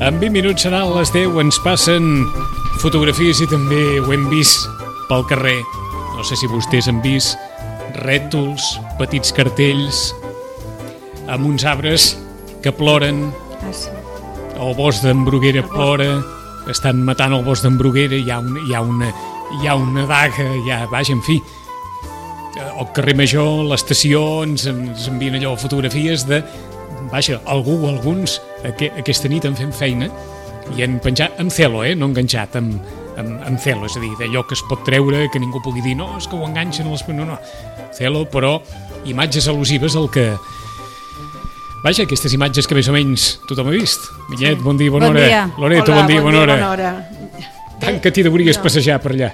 En 20 minuts seran les 10, ens passen fotografies i també ho hem vist pel carrer. No sé si vostès han vist rètols, petits cartells amb uns arbres que ploren. El bosc d'en Bruguera plora, estan matant el bosc d'en Bruguera, hi ha una daga, vaja, en fi. Al carrer Major, l'estació, ens envien allò fotografies de... Vaja, alguns aquesta nit han fet feina i han penjat amb celo, no enganxat, amb celo, és a dir, d'allò que es pot treure, que ningú pugui dir, no, és que ho enganxen les... No, celo, però imatges al·lusives al que... Vaja, aquestes imatges que més o menys tothom ha vist. Millet, bon dia, bona hora. Loreto, bon dia, bona hora. Tant que t'hi devries passejar per allà.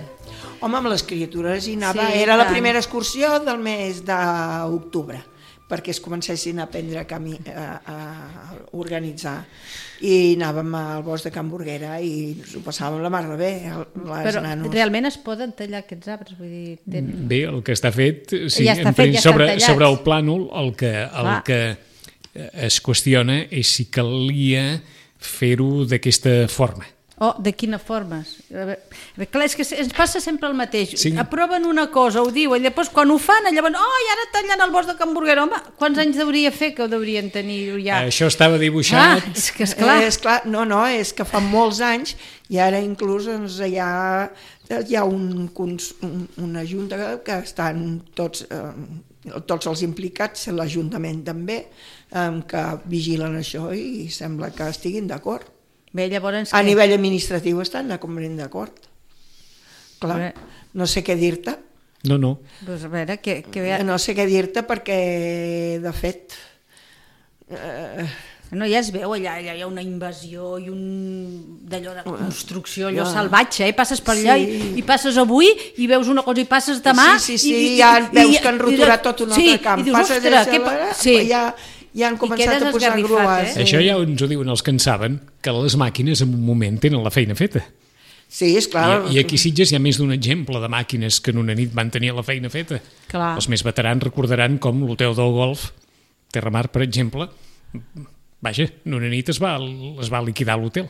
Home, amb les criatures hi anava, era la primera excursió del mes d'octubre, perquè es comencessin a aprendre a organitzar. I anàvem al bosc de Can Burguera i ho passàvem la mar de bé, Però realment es poden tallar aquests arbres? Vull dir, Bé, el que està fet, sí, sobre el plànol, el que es qüestiona és si calia fer-ho d'aquesta forma. De quina forma? Clar, és que ens passa sempre el mateix. Sí. Aproven una cosa, ho diuen, i després quan ho fan, llavors, i ara tallant el bosc de Can Burguera. Home, quants anys hauria fer que ho deurien tenir ja? Això estava dibuixat. És que esclar. És que fa molts anys i ara inclús hi ha una junta que estan tots els implicats, l'Ajuntament també, que vigilen això i sembla que estiguin d'acord. Bé, llavors... A nivell administratiu estan completament d'acord. Clar, no sé què dir-te. No. Pues a veure, no sé què dir-te perquè, de fet... No, ja es veu, allà hi ha una invasió i d'allò de construcció, allò salvatge, passes per allà i passes avui i veus una cosa i passes demà... Sí, ja veus que han roturat tot un altre camp. I dius, ostres, ja han començat a posar grues. Això ja ens ho diuen els que en saben, que les màquines en un moment tenen la feina feta. Sí, és clar. I aquí a Sitges hi ha més d'un exemple de màquines que en una nit van tenir la feina feta. Clar. Els més veterans recordaran com l'hotel del Golf, Terramar, per exemple, vaja, en una nit es va liquidar l'hotel.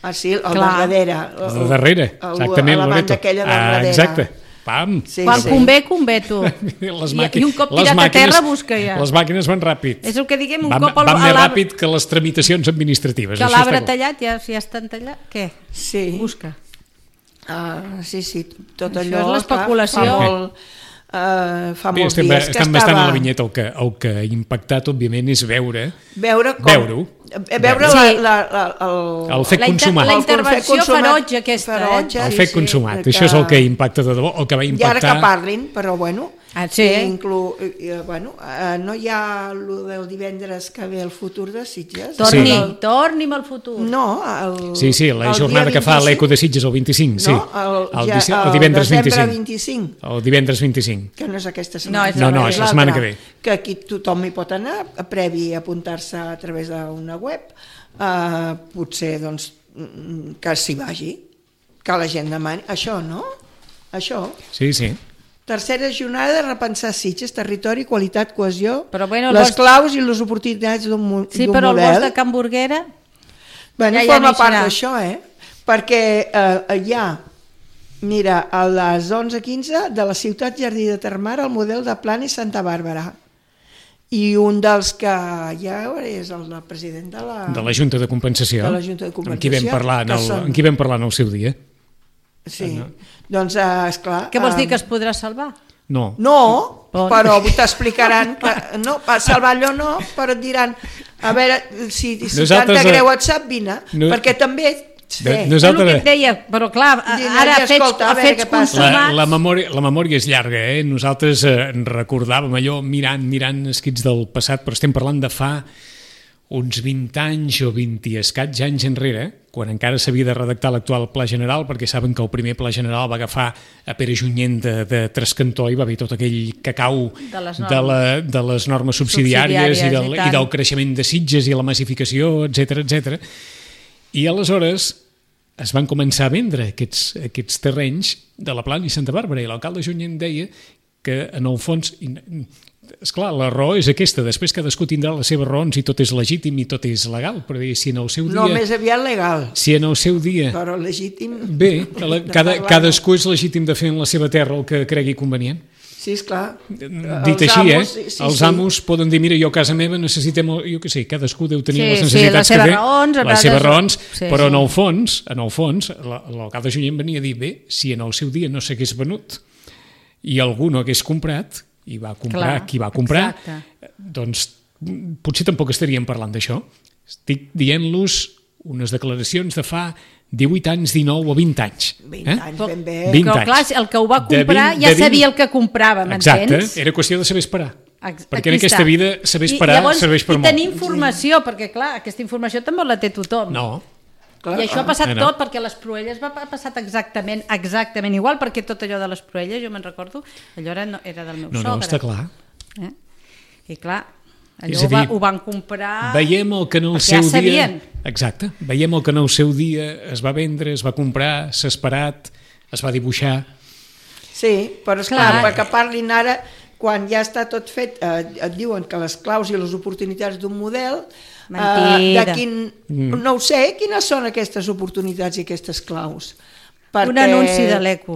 Ah, sí, el darrere. El darrere, exactament, la banda aquella del darrere. Exacte. Pam. Quan convé tu. I un cop tirat a terra busca ja. Les màquines van ràpid. És el que diguem, un cop van més ràpid que les tramitacions administratives. Que l'arbre tallat, ja estan tallat, què? Sí. Busca. Sí, tot allò... Això és l'especulació. Fa molts dies que estava... Estan bastant a la vinyeta, el que ha impactat, òbviament, és veure-ho. Veure el fet consumat. La intervenció ferotge aquesta. El fet consumat, això és el que impacta de debò, el que va impactar... I ara que parlin, però bueno... Sí. No hi ha el del divendres que ve el futur de Sitges? Torni'm al futur. No, Sí, la jornada que fa l'Eco de Sitges el 25, sí. El divendres 25. El divendres 25. Que no és aquesta setmana. No, és la setmana que ve. Que aquí tothom hi pot anar, previ a apuntar-se a través d'una web, potser doncs que s'hi vagi, que la gent demani. Això, no? Això. Sí. Tercera jornada de repensar Sitges, territori, qualitat, cohesió, les claus i les oportunitats d'un model. Sí, però el bosc de Can Burguera... Forma part d'això, perquè hi ha, mira, a les 11:15 de la ciutat Jardí de Termar, el model de Plana i Santa Bàrbara. I un dels que hi ha és el president de la Junta de Compensació, amb qui vam parlar en el seu dia. Sí, doncs esclar... Què vols dir, que es podrà salvar? No, però t'explicaran que no, salvar allò no, però et diran a veure, si t'ha greu et sap, vine, perquè també el que et deia, però clar, ara fets consumats... La memòria és llarga, Nosaltres recordàvem allò mirant escrits del passat, però estem parlant de fa uns 20 anys o 20 i escaig anys enrere, quan encara s'havia de redactar l'actual Pla General, perquè saben que el primer Pla General va agafar a Pere Junyent de Trascantó i va haver tot aquell cacau de les normes subsidiàries i del creixement de Sitges i la massificació, etc. I aleshores es van començar a vendre aquests terrenys de la Plana i Santa Bàrbara, i l'alcalde Junyent deia que en el fons... Esclar, la raó és aquesta, després cadascú tindrà les seves raons i tot és legítim i tot és legal, però si en el seu dia... No, més aviat legal. Si en el seu dia... Però legítim... Bé, cadascú és legítim de fer en la seva terra el que cregui convenient. Sí, esclar. Dit així, els amos poden dir, mira, jo a casa meva necessitem, jo què sé, cadascú deu tenir les necessitats que té, les seves raons, però en el fons, l'alcalde Junyent venia a dir, bé, si en el seu dia no s'hagués venut i algú no hagués comprat, i va comprar qui va comprar, doncs potser tampoc estaríem parlant d'això. Estic dient-los unes declaracions de fa 18 anys, 19 o 20 anys. 20 anys, ben bé. Però clar, el que ho va comprar ja sabia el que comprava, m'entens? Exacte, era qüestió de saber esperar. Perquè en aquesta vida saber esperar serveix per molt. I tenir informació, perquè clar, aquesta informació també la té tothom. No. I això ha passat tot perquè les Proelles ha passat exactament igual, perquè tot allò de les Proelles, jo me'n recordo, allò era del meu sogre. No, està clar. I clar, allò ho van comprar... Veiem el que en el seu dia... Exacte, veiem el que en el seu dia es va vendre, es va comprar, s'ha esperat, es va dibuixar... Sí, però esclar, perquè parlin ara, quan ja està tot fet, et diuen que les claus i les oportunitats d'un model... Mentida. No ho sé, quines són aquestes oportunitats i aquestes claus? Un anunci de l'ECO.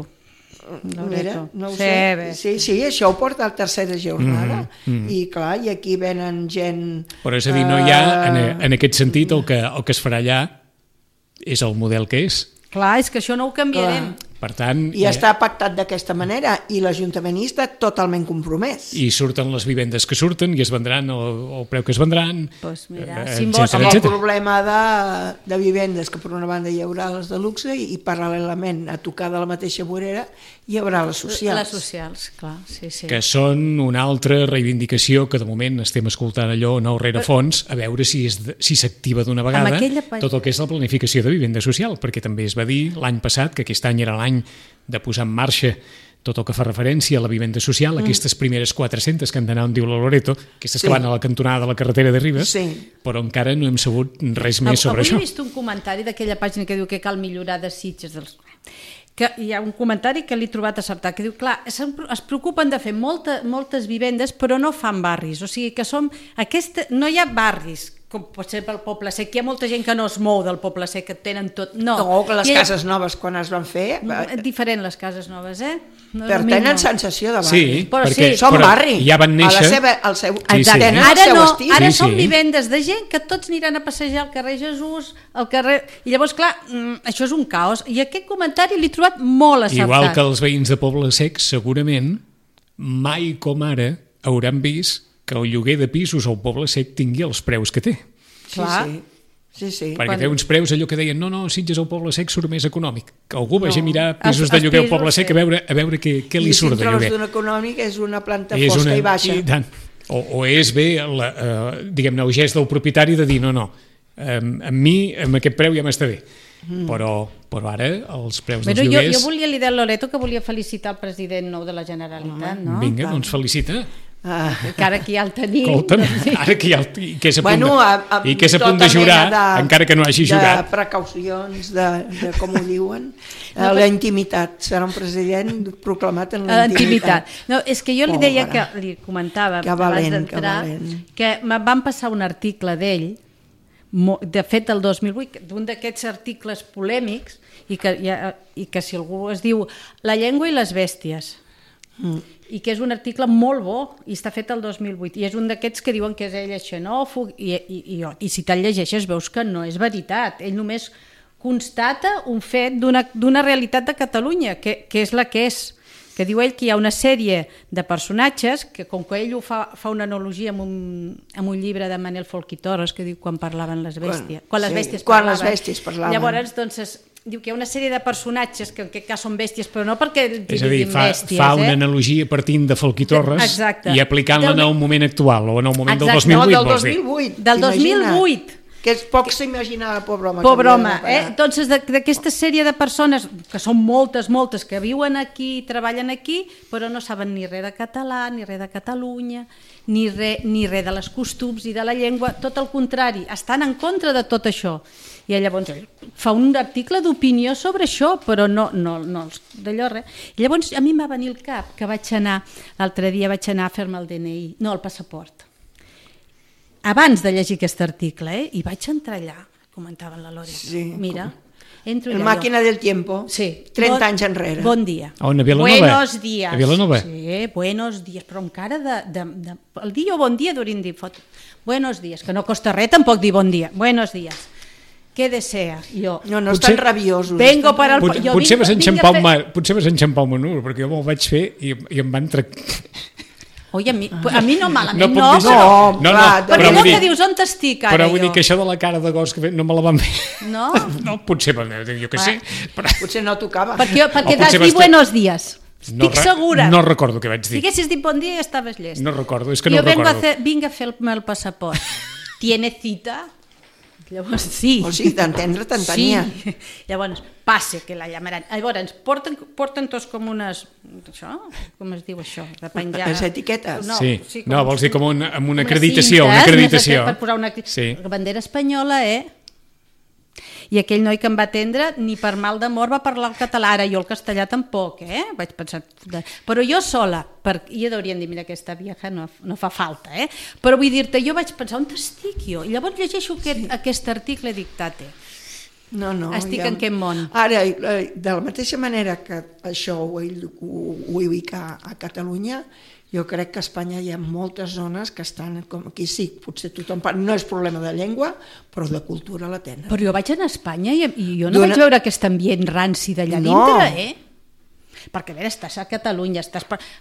Mira, no ho sé. Sí, això ho porta a la tercera jornada. I clar, i aquí venen gent... Però és a dir, no hi ha, en aquest sentit, el que es farà allà és el model que és. Clar, és que això no ho canviarem. Per tant... I està pactat d'aquesta manera, i l'Ajuntament hi està totalment compromès. I surten les vivendes que surten, i es vendran el preu que es vendran, Amb el problema de vivendes, que per una banda hi haurà les de luxe, i paral·lelament, a tocar de la mateixa vorera, hi haurà les socials. Les socials, clar, sí. Que són una altra reivindicació que de moment estem escoltant allò nou rerefons, a veure si s'activa d'una vegada tot el que és la planificació de vivenda social, perquè també es va dir l'any passat, que aquest any era l'any de posar en marxa tot el que fa referència a la vivenda social, aquestes primeres 400 que han d'anar on diu la Loreto, aquestes que van a la cantonada de la carretera de Ribes, però encara no hem sabut res més sobre això. Avui he vist un comentari d'aquella pàgina que diu que cal millorar de Sitges que hi ha un comentari que l'he trobat acertat, que diu, clar, es preocupen de fer moltes vivendes però no fan barris, o sigui que no hi ha barris, com pot ser pel Poble Sec, hi ha molta gent que no es mou del Poble Sec, que tenen tot... No, que les cases noves quan es van fer... Diferent les cases noves, Però tenen sensació de barri. Sí, perquè són barri. Ja van néixer... Tenen el seu estil. Ara són vivendes de gent que tots aniran a passejar al carrer Jesús, al carrer... I llavors, clar, això és un caos. I aquest comentari l'he trobat molt acertat. Igual que els veïns de Poble Sec, segurament, mai com ara hauran vist que el lloguer de pisos al Poble Sec tingui els preus que té. Clar. Sí. Perquè té uns preus allò que deien no, Sitges al Poble Sec surt més econòmic. Que algú vagi a mirar pisos de lloguer al Poble Sec a veure què li surt de lloguer. I si trobes d'un econòmic és una planta fosca i baixa. O és bé, diguem-ne, el gest del propietari de dir no, amb mi, amb aquest preu ja m'està bé. Però ara els preus dels lloguers... Jo volia dir a Loreto que volia felicitar el president nou de la Generalitat, no? Vinga, doncs felicita. Que ara que ja el tenim... Escolta'm, ara que ja i que és a punt de jurar, encara que no hagi jurat. De precaucions, de com ho diuen, la intimitat. Serà un president proclamat en la intimitat. No, és que jo li deia, que li comentava abans d'entrar, que em van passar un article d'ell, de fet el 2008, d'un d'aquests articles polèmics, i que si algú es diu La llengua i les bèsties, i que és un article molt bo i està fet el 2008 i és un d'aquests que diuen que és ell xenòfob i si te'l llegeixes veus que no és veritat, ell només constata un fet d'una realitat de Catalunya que és la que és, que diu ell que hi ha una sèrie de personatges que, com que ell ho fa una analogia amb un llibre de Manel Folch i Torres que diu quan parlaven les bèsties. Quan les bèsties parlaven. Llavors, doncs, diu que hi ha una sèrie de personatges que en aquest cas són bèsties, però no perquè diguin bèsties. Fa una analogia partint de Folch i Torres i aplicant-la en el moment actual o en el moment del 2008, vols dir? Del 2008. Que poc s'imaginava, pobre home. Pobre home, Doncs d'aquesta sèrie de persones, que són moltes, que viuen aquí, treballen aquí, però no saben ni res de català, ni res de Catalunya, ni res de les costums i de la llengua, tot el contrari, estan en contra de tot això. I llavors fa un article d'opinió sobre això, però no d'allò res. I llavors a mi em va venir al cap que l'altre dia vaig anar a fer-me el DNI, no, el passaport. Abans de llegir aquest article, i vaig entrar allà, comentaven la Lore. Sí, mira, entro allà. La màquina del tiempo, sí. 30 anys enrere. Bon dia. On, a Vilanova? Buenos días. A Vilanova? Sí, buenos días, però amb cara el dia o bon dia deurien dir buenos días, que no costa res tampoc dir bon dia. Buenos días. Què desea? Jo. No estan rabiosos. Vengo para el... Potser vas enxampar un menú, perquè jo me'l vaig fer i em van tractar... Oi, a mi no malament, no, perquè no que dius on t'estic ara. Però vull dir que això de la cara de gos que no me la van fer. No? No, potser, jo què sé. Potser no tocava. Perquè t'has dit buenos días. Estic segura. No recordo què vaig dir. Si haguessis dit bon dia ja estaves llest. No recordo, és que no recordo. Jo vinc a fer-me el passaport. ¿Tiene cita? Llavors, sí. O sigui, d'entendre te'n tenia. Sí. Llavors, passe, que la llamaran. Llavors, porten tots com unes... Això? Com es diu això? De penjar... Les etiquetes? Sí. No, vols dir com amb una acreditació. Una acreditació. Per posar una bandera espanyola, I aquell noi que em va atendre, ni per mal d'amor va parlar el català. Ara jo el castellà tampoc, Vaig pensar... Però jo sola, i ja deurien dir, mira, aquesta vieja no fa falta, Però vull dir-te, jo vaig pensar, on estic jo? I llavors llegeixo aquest article dictate. No, estic en aquest món. Ara, de la mateixa manera que això ho ubica a Catalunya, jo crec que a Espanya hi ha moltes zones que estan com aquí, sí, potser tothom parla, no és problema de llengua, però de cultura la tenen. Però jo vaig anar a Espanya i jo no vaig veure aquest ambient ranci d'allà dintre, Perquè, a veure, estàs a Catalunya,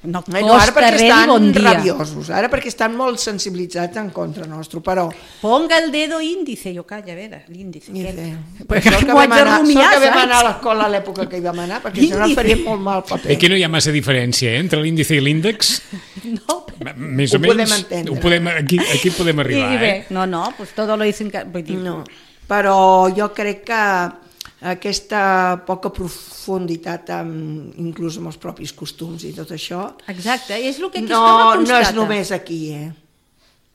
no costa res dir bon dia. Rabiosos, ara perquè estan molt sensibilitzats en contra nostre, però... Ponga el dedo índice, jo calla, a veure, l'índice. Això que vam anar a l'escola a l'època que hi vam anar, perquè això no faria molt mal paper. Aquí no hi ha massa diferència, entre l'índice i l'índex. No, més o menys, aquí podem arribar. I bé, no, pues todo lo dicen... No, però jo crec que aquesta poca profunditat inclús amb els propis costums i tot això. Exacte, és el que aquí es constata. No és només aquí,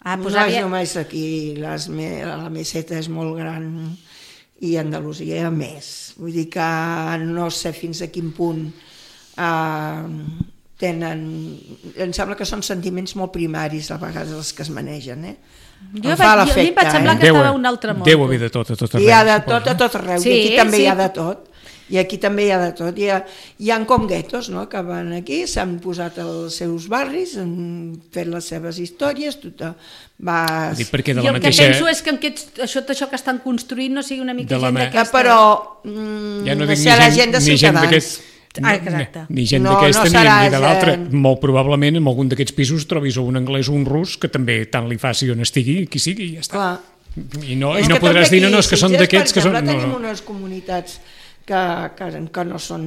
no és només aquí, la meseta és molt gran i Andalusia més. Vull dir que no sé fins a quin punt tenen... Em sembla que són sentiments molt primaris a vegades els que es manegen, Jo a mi em va semblar que estava un altre món. Deu haver de tot a tot arreu. Hi ha de tot a tot arreu, i aquí també hi ha de tot. I aquí també hi ha de tot. Hi ha com guetos, que van aquí, s'han posat als seus barris, han fet les seves històries, tothom va... I el que penso és que això que estan construint no sigui una mica gent d'aquesta... Però no sé la gent de Ciutadans. Ni gent d'aquesta ni de l'altra. Molt probablement en algun d'aquests pisos trobis un anglès o un rus que també tant li faci on estigui, qui sigui, i ja està. I no podràs dir, no, és que són d'aquests que són... Tenim unes comunitats que no són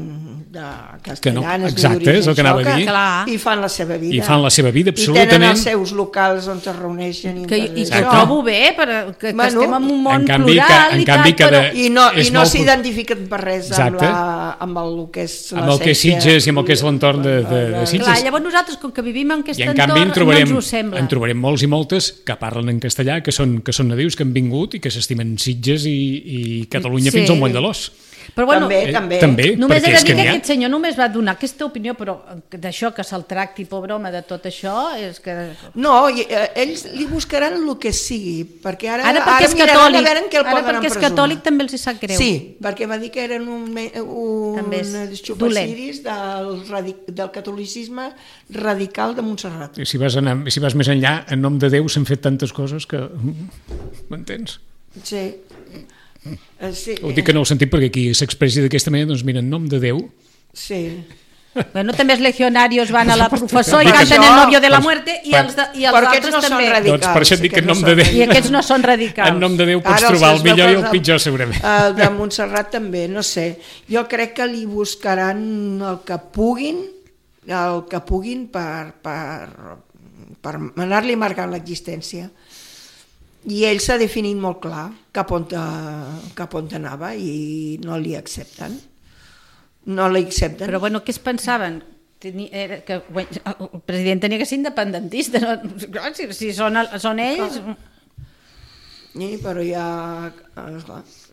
castellanes, exacte, és el que anava a dir, i fan la seva vida. I fan la seva vida, absolutament. I tenen els seus locals on es reuneixen. I ho trobo bé, que estem en un món plural i tal, i no s'identifiquen per res amb el que és la amb el que és Sitges i amb el que és l'entorn de Sitges. Clar, llavors nosaltres, com que vivim en aquest entorn, no ens ho sembla. En trobarem molts i moltes que parlen en castellà, que són nadius, que han vingut i que s'estimen Sitges i Catalunya fins al moll de l'os. Però bueno, també, només he de dir que aquest senyor només va donar aquesta opinió, però d'això que se'l tracti, pobre home, de tot això és que... No, ells li buscaran el que sigui, perquè ara perquè és miraran a veure en què el poden empresonar. Ara perquè és catòlic també els hi sap greu. Sí, perquè va dir que eren un xupaciris del catolicisme radical de Montserrat. Si vas més enllà, en nom de Déu s'han fet tantes coses que... M'entens? Sí. Ho dic en el sentit perquè aquí s'expressi d'aquesta manera, doncs mira, en nom de Déu... Sí. Bueno, també els legionarios van a la professor i canten el novio de la muerte i els altres no també. Radicals, doncs per això et dic que en nom de Déu... I aquests no són radicals. En nom de Déu pots trobar el millor i el pitjor, segurament. El de Montserrat també, no sé. Jo crec que li buscaran el que puguin per anar-li marcant l'existència. I ell s'ha definit molt clar cap on anava i no li accepten. No li accepten. Però bueno, què es pensaven? Que el president tenia que ser independentista. No? Si són ells... Sí, però ja...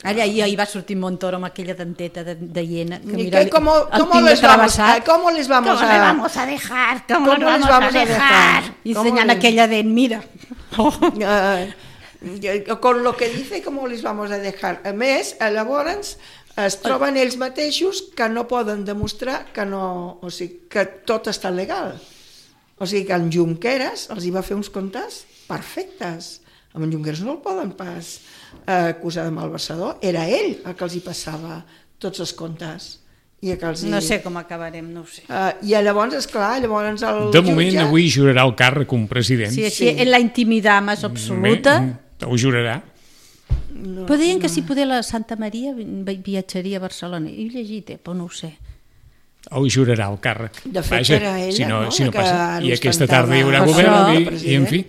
Allà ahir va sortir Montoro amb aquella denteta de hiena. ¿Cómo les vamos a dejar? ¿Cómo les vamos a dejar? I ensenyant aquella dent, mira. Con lo que dice, ¿cómo les vamos a dejar? A més, llavors es troben ells mateixos que no poden demostrar que tot està legal. O sigui que en Junqueras els hi va fer uns comptes perfectes. Amb en Junqueras no el poden pas acusar de malversador. Era ell el que els hi passava tots els comptes. No sé com acabarem, no ho sé. I llavors, esclar, el de moment, jutge... avui jurarà el càrrec un president. Sí, així, en la intimitat més absoluta... Ho jurarà. Però deien que si poder la Santa Maria viatjaria a Barcelona. He llegit, però no ho sé. Ho jurarà el càrrec. De fet, era ella, no? Si no passa. I aquesta tarda hi haurà govern i en fi...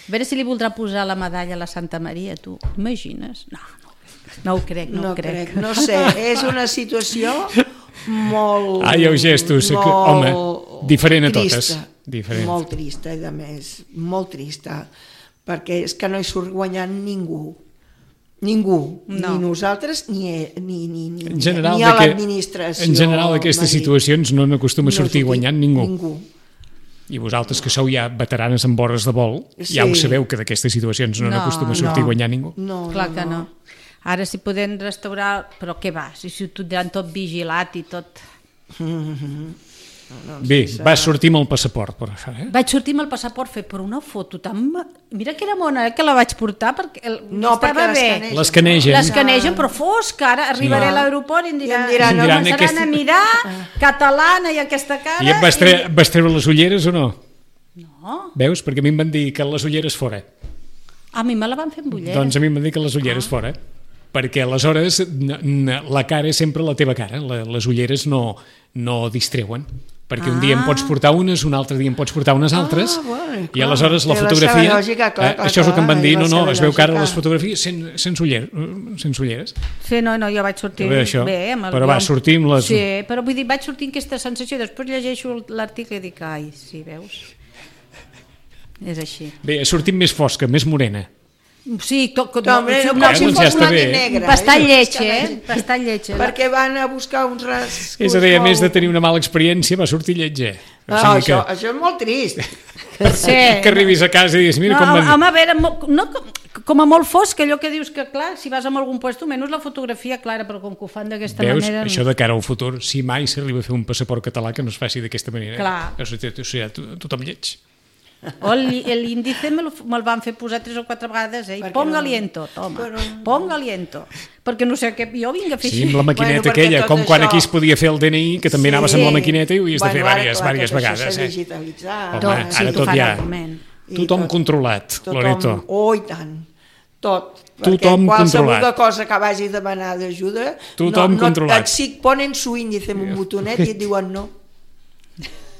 A veure si li voldrà posar la medalla a la Santa Maria, tu. Imagines? No ho crec, no ho crec. No sé, és una situació molt... Hi ha gestos, home, diferent a totes. Molt trista, i a més, molt trista, perquè és que no hi surt guanyant ningú. Ningú, ni nosaltres ni a l'administració. En general, aquestes situacions no n'acostuma a sortir guanyant ningú. I vosaltres, que sou ja veteranes amb vores de vol, ja ho sabeu que d'aquestes situacions no n'acostuma a sortir guanyant ningú. Clar que no. Ara si podem restaurar... Però què va? Si ho tindran tot vigilat i tot... Bé, vas sortir amb el passaport, per això, Vaig sortir amb el passaport, fer per una foto tan... Mira que era mona, que la vaig portar, perquè estava bé. L'escanegen, però fosca, ara arribaré a l'aeroport i em diran, no, començaran a mirar, catalana i aquesta cara... I et vas treure les ulleres o no? No. Veus? Perquè a mi em van dir que les ulleres fora. A mi me la van fer amb ulleres. Doncs a mi em van dir que les ulleres fora. Perquè aleshores la cara és sempre la teva cara, les ulleres no distreuen. Perquè un dia en pots portar unes, un altre dia en pots portar unes altres, i aleshores la fotografia... Això és el que em van dir, no, es veu que ara les fotografies sense ulleres. Sí, no, jo vaig sortir bé. Però va sortir amb les... Sí, però vull dir, vaig sortir amb aquesta sensació, després llegeixo l'article i dic, ai, sí, veus? És així. Bé, ha sortit més fosca, més morena. Sí, com si fos blanc i negre. Bastant lletja. Perquè van a buscar uns rascos... És a dir, a més de tenir una mala experiència, va sortir lletja. Això és molt trist. Que arribis a casa i diguis, mira com van... Home, a veure, com a molt fosc, allò que dius que, clar, si vas a algun lloc, menys la fotografia clara, però com que ho fan d'aquesta manera... Veus, això de cara al futur, si mai s'arriba a fer un passaport català que no es faci d'aquesta manera. Clar. Tothom lleig. O l'índice me'l van fer posar 3 o 4 vegades, ponga aliento, toma, ponga aliento, perquè no sé què, jo vinc a fer així. Sí, amb la maquineta aquella, com quan aquí es podia fer el DNI, que també anaves amb la maquineta i ho havies de fer diverses vegades. Això s'ha digitalitzat. Home, ara tot ja, tothom controlat, Loreto. Oh, i tant, tot. Tothom controlat. Qualsevol cosa que vagis a demanar d'ajuda, et ponen su índice amb un botonet i et diuen no.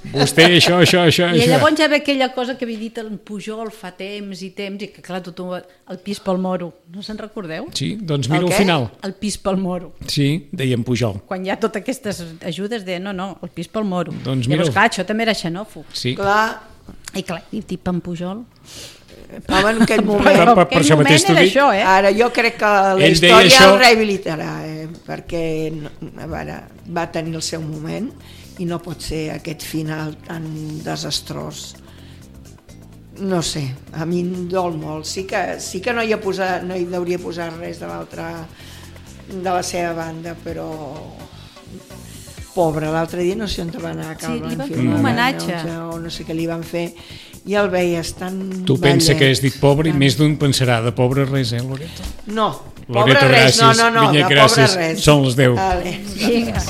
Vostè, això. I llavors ja ve aquella cosa que havia dit en Pujol fa temps, i que clar, tothom, el pis pel moro, no se'n recordeu? Sí, doncs mira al final. El pis pel moro. Sí, deien Pujol. Quan hi ha totes aquestes ajudes, deien no, el pis pel moro. Doncs llavors, clar, això també era xenòfob. Sí. I clar, i tipo en Pujol... Però en aquell moment, per això mateix t'ho dic. Ara jo crec que la història el rehabilitarà, perquè va tenir el seu moment i no pot ser aquest final tan desastrós. No sé, a mi em dol molt. Sí que no hi hauria posat res de la seva banda, però pobre, l'altre dia no sé on va anar a Cal Blanc, li van fer un homenatge o no sé què li van fer, i el veies tan tu pensa que has dit pobre i més d'un pensarà de pobre res, Loreto? No, pobre res, no, de pobre res. Són les 10. Vinga.